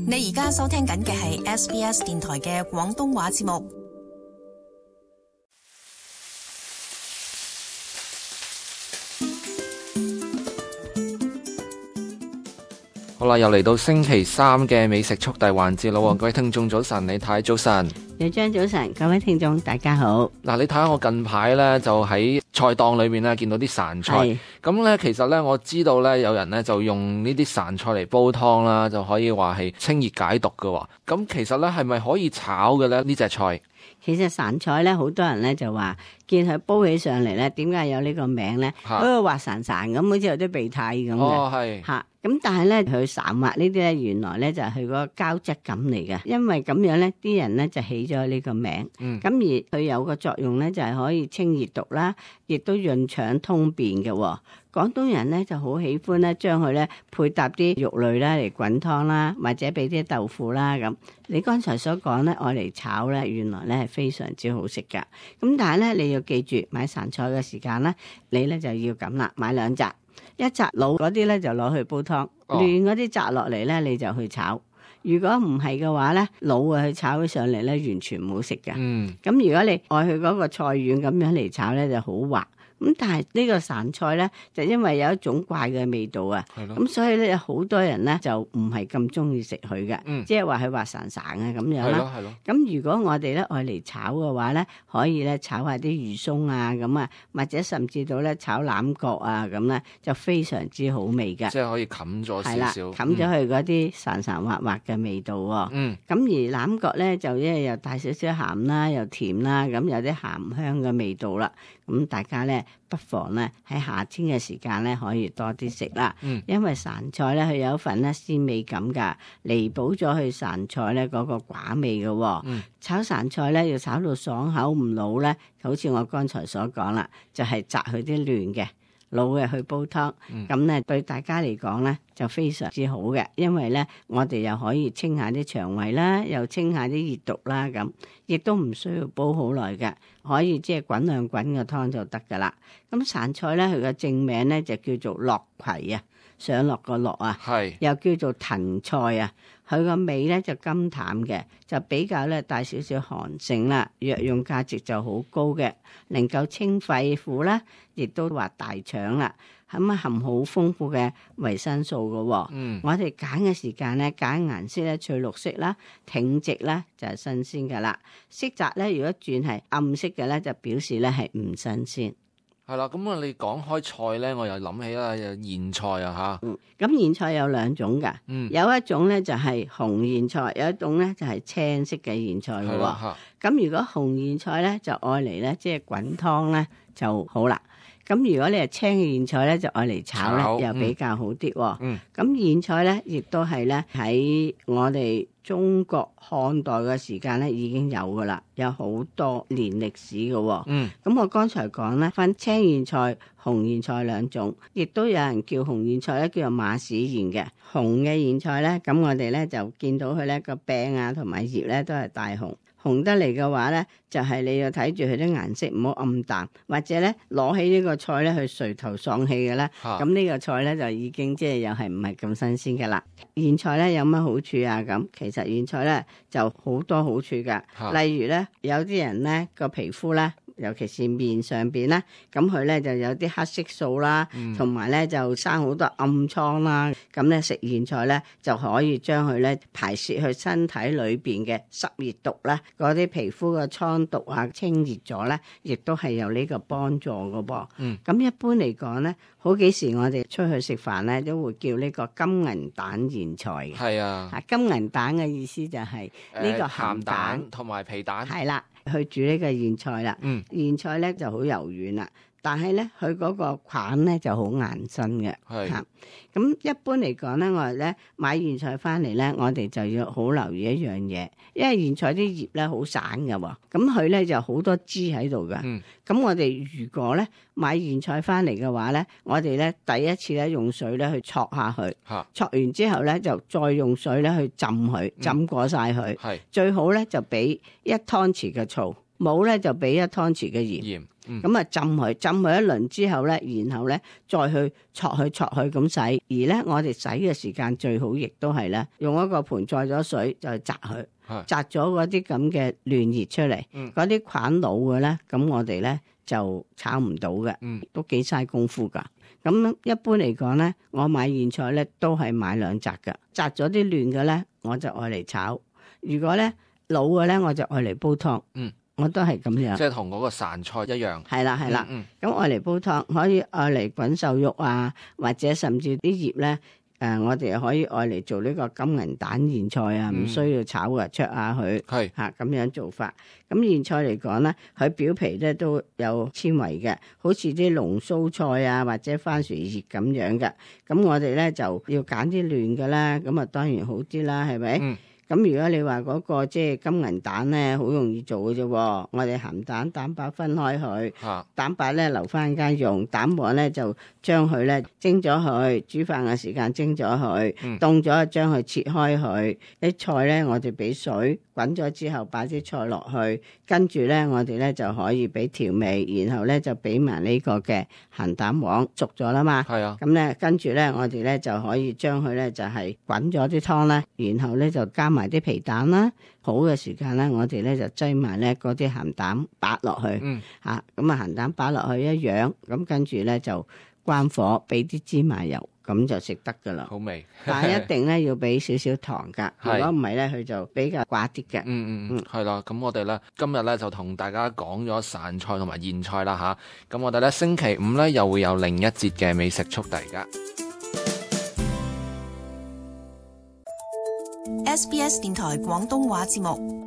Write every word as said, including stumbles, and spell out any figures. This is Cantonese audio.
你而家收聽緊嘅係 S B S 電台嘅廣東話節目。好啦，又嚟到星期三嘅美食速遞環節啦！各位聽眾早晨，李太早晨，李張早晨，各位聽眾大家好。嗱，你睇下我近排呢，就喺菜檔裏面呢見到啲潺菜，咁呢，其實呢，我知道呢，有人呢就用呢啲潺菜嚟煲湯啦，就可以話係清熱解毒㗎。咁其實呢，係咪可以炒嘅呢？呢隻菜？其實潺菜咧，好多人咧就話見佢煲起上嚟咧，點解有呢個名咧？嗰個滑潺潺咁，好似有啲鼻涕咁嘅。哦，係嚇。咁但係咧，佢潺滑呢啲咧，原來咧就係佢嗰個膠質感嚟嘅。因為咁樣咧，啲人咧就起咗呢個名。嗯。咁而佢有個作用咧，就係可以清熱毒啦，亦都潤腸通便嘅。廣東人咧就好喜歡咧，將佢咧配搭啲肉類啦嚟滾湯啦，或者俾啲豆腐啦咁。你剛才所講咧，愛嚟炒咧，原來咧係非常之好食噶。咁但係咧，你要記住買潺菜嘅時間咧，你咧就要咁啦，買兩紮，一紮老嗰啲咧就攞去煲湯，嫩嗰啲摘落嚟咧你就去炒。如果唔係嘅話咧，老嘅去炒起上嚟咧，完全唔好食噶。嗯。咁如果你愛佢嗰個菜丸咁樣嚟炒咧，就好滑。咁但係呢個潺菜咧，就因為有一種怪嘅味道啊，咁所以咧有好多人咧就唔係咁中意食佢嘅，嗯、即係話佢滑潺潺啊咁樣啦。咁如果我哋咧愛嚟炒嘅話咧，可以咧炒下啲魚鬆啊咁啊，或者甚至到咧炒欖角啊咁咧，就非常之好味嘅。即係可以冚咗少少，係啦，冚咗佢嗰啲潺潺滑滑嘅味道喎。嗯。咁而欖角咧就因為又帶少少鹹啦，又甜啦，咁有啲鹹香嘅味道啦。咁大家咧不妨咧喺夏天嘅時間咧可以多啲食啦，嗯、因為潺菜咧佢有一份咧鮮味感㗎，彌補咗佢潺菜咧嗰個寡味嘅、哦。嗯、炒潺菜咧要炒到爽口唔老咧，好似我剛才所講啦，就係摘佢啲嫩嘅。老嘅去煲湯，咁咧、嗯、對大家嚟講咧就非常之好嘅，因為咧我哋又可以清下啲腸胃啦，又清下啲熱毒啦，咁亦都唔需要煲好耐嘅，可以即係滾兩滾個湯就得噶啦。咁潺菜咧佢嘅正名咧就叫做落葵啊，上落個落啊，是又叫做藤菜啊。佢個味咧就甘淡嘅，就比較咧帶少少寒性啦，藥用價值就好高嘅，能夠清肺腑啦，亦都滑大腸啦，咁啊含好豐富嘅維生素嘅、哦。嗯，我哋揀嘅時間咧，揀顏色咧翠綠色啦，挺直啦就係新鮮噶啦，色澤咧如果轉係暗色嘅咧，就表示咧係唔新鮮。係啦，咁啊，你講開菜咧，我又諗起啦，有莧菜啊吓。嗯，咁莧菜有兩種噶，嗯、有一種咧就係紅莧菜，有一種咧就係青色嘅莧菜嘅喎。咁如果紅莧菜咧就愛嚟咧，即係滾湯咧就好啦。咁如果你係青嘅莧菜咧，就愛嚟炒咧，炒又比較好啲、哦。嗯，咁莧菜咧，亦都係咧喺我哋中國漢代嘅時間咧已經有噶啦，有好多年歷史嘅、哦。嗯，咁我剛才講咧分青莧菜、紅莧菜兩種，亦都有人叫紅莧菜咧叫做馬屎莧嘅。紅嘅莧菜咧，咁我哋咧就見到佢咧個柄啊同埋葉咧都係大紅。紅得嚟嘅話咧，就係、是、你要睇住佢啲顏色唔好暗淡，或者咧攞起呢個菜咧去垂頭喪氣嘅咧，咁呢、啊、個菜咧就已經即係又係唔係咁新鮮嘅啦。莧菜咧有乜好處啊？咁其實莧菜咧就好多好處㗎，啊、例如咧有啲人咧個皮膚咧。尤其是面上邊咧，咁佢咧就有啲黑色素啦，同埋咧就生好多暗瘡啦。咁咧食莧菜咧就可以將佢咧排泄去身體裏邊嘅濕熱毒啦，嗰啲皮膚嘅瘡毒啊清熱咗咧，亦都係有呢個幫助嘅噃。嗯，咁一般嚟講咧，好幾時我哋出去食飯咧都會叫呢個金銀蛋莧菜嘅。係啊，啊金銀蛋嘅意思就係呢個鹹蛋同埋皮蛋。係啦。去煮呢個莧菜啦，嗯、莧菜咧就好柔軟啦，但係咧佢嗰個梗咧就好硬身嘅，嚇是。咁、啊、一般嚟講咧，我哋咧買莧菜翻嚟咧，我哋就要好留意一樣嘢，因為莧菜啲葉咧好散嘅喎，咁佢咧就好多枝喺度嘅。咁、嗯、我哋如果咧買莧菜翻嚟嘅話咧，我哋咧第一次咧用水咧去焯下佢，焯完之後咧就再用水咧去浸佢，浸過晒佢。嗯、最好咧就俾一湯匙嘅醋。冇咧就俾一湯匙嘅鹽，咁啊、嗯、浸佢，浸佢一輪之後咧，然後咧再去搓去搓去咁洗。而咧我哋洗嘅時間最好，亦都係咧用一個盆載咗水就去擲佢，擲咗嗰啲咁嘅亂熱出嚟，嗰啲、嗯、菌老嘅咧，咁我哋咧就炒唔到嘅，嗯、都幾嘥功夫噶。咁一般嚟講咧，我買莧菜咧都係買兩擲噶，擲咗啲亂嘅咧，我就愛嚟炒；如果咧老嘅咧，我就愛嚟煲湯。嗯，我都係咁樣。即係同嗰個潺菜一樣。係啦係啦，咁愛嚟煲湯，可以愛嚟滾瘦肉啊，或者甚至啲葉咧。誒、呃，我哋可以愛嚟做呢個金銀蛋莧菜啊，唔、嗯、需要炒嘅，焯下佢，係嚇咁樣做法。咁莧菜嚟講咧，佢表皮咧都有纖維嘅，好似啲龍鬚菜啊或者番薯葉咁樣嘅。咁我哋咧就要揀啲嫩嘅啦，咁啊當然好啲啦，係咪？嗯咁如果你話嗰個即係金銀蛋咧，好容易做嘅啫。我哋鹹蛋蛋白分開佢，啊、蛋白咧留翻間用，蛋黃咧就將佢咧蒸咗佢，煮飯嘅時間蒸咗佢，凍咗將佢切開佢。啲菜咧我哋俾水滾咗之後，擺啲菜落去，跟住咧我哋咧就可以俾調味，然後咧就俾埋呢個嘅鹹蛋黃熟咗啦嘛。係啊，咁咧跟住咧我哋咧就可以將佢咧就係滾咗啲湯啦，然後咧就加埋啲皮蛋啦，好嘅時間咧，我哋咧就擠埋咧嗰啲鹹蛋白落去，嗯，吓咁啊鹹蛋白落去一樣，咁跟住咧就關火，俾啲芝麻油，咁就食得噶啦。好味，但係一定咧要俾少少糖噶，如果唔係咧，佢就比較寡啲嘅。嗯嗯嗯，係啦，咁我哋咧今日咧就同大家講咗潺菜同埋莧菜啦吓，咁我哋咧星期五咧又會有另一節嘅美食速遞噶。S B S 電台廣東話節目